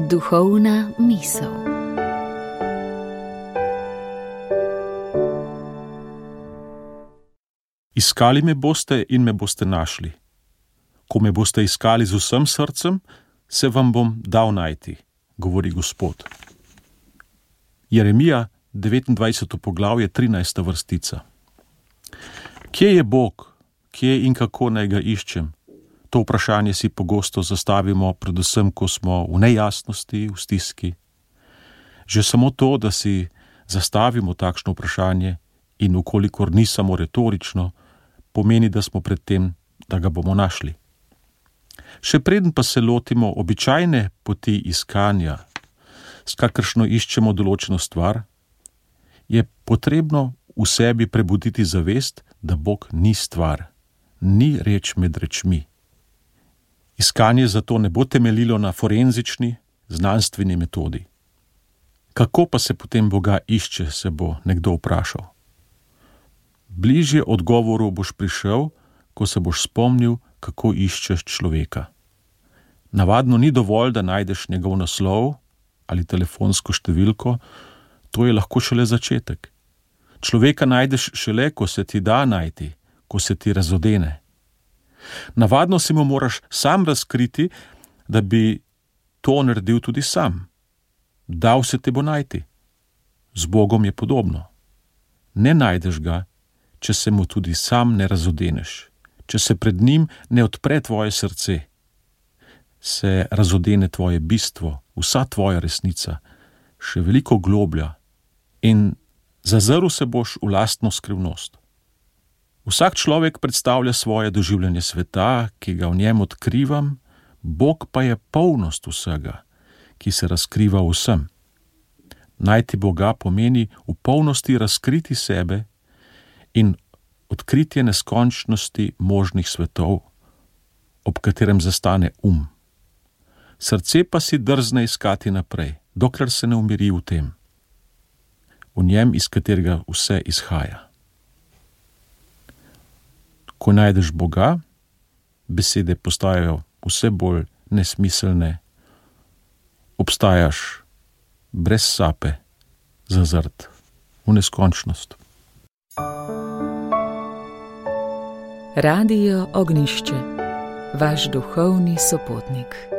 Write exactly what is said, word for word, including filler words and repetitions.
Duhovna misel. Iskali me boste in me boste našli. Ko me boste iskali z vsem srcem, se vam bom dal najti, govori Gospod. Jeremija, devetindvajseto poglavje, trinajsta vrstica. Kje je Bog, kje in kako naj ga iščem? To vprašanje si pogosto zastavimo, predvsem, ko smo v nejasnosti, v stiski. Že samo to, da si zastavimo takšno vprašanje in ukolikor ni samo retorično, pomeni, da smo pred tem, da ga bomo našli. Še preden pa se lotimo običajne poti iskanja, s kakršno iščemo določeno stvar, je potrebno v sebi prebuditi zavest, da Bog ni stvar, ni reč med rečmi. Iskanje zato ne bo temeljilo na forenzični, znanstveni metodi. Kako pa se potem Boga išče, se bo nekdo vprašal. Bližje odgovoru boš prišel, ko se boš spomnil, kako iščeš človeka. Navadno ni dovolj, da najdeš njegov naslov ali telefonsko številko, to je lahko šele začetek. Človeka najdeš šele, ko se ti da najti, ko se ti razodene. Navadno si mu moraš sam razkriti, da bi to naredil tudi sam. Dal se te bo najti. Z Bogom je podobno. Ne najdeš ga, če se mu tudi sam ne razodeneš, če se pred njim ne odpre tvoje srce, se razodene tvoje bistvo, vsa tvoja resnica, še veliko globlja in zazrl se boš v lastno skrivnost. Vsak človek predstavlja svoje doživljanje sveta, ki ga v njem odkrivam, Bog pa je polnost vsega, ki se razkriva vsem. Najti Boga pomeni v polnosti razkriti sebe in odkritje neskončnosti možnih svetov, ob katerem zastane um. Srce pa si drzne iskati naprej, dokler se ne umiri v tem, v njem, iz katerega vse izhaja. Ko najdeš Boga, besede postajajo vse bolj nesmiselne, obstajaš brez sape, zazrt v neskončnost. Radio Ognjišče, vaš duhovni sopotnik.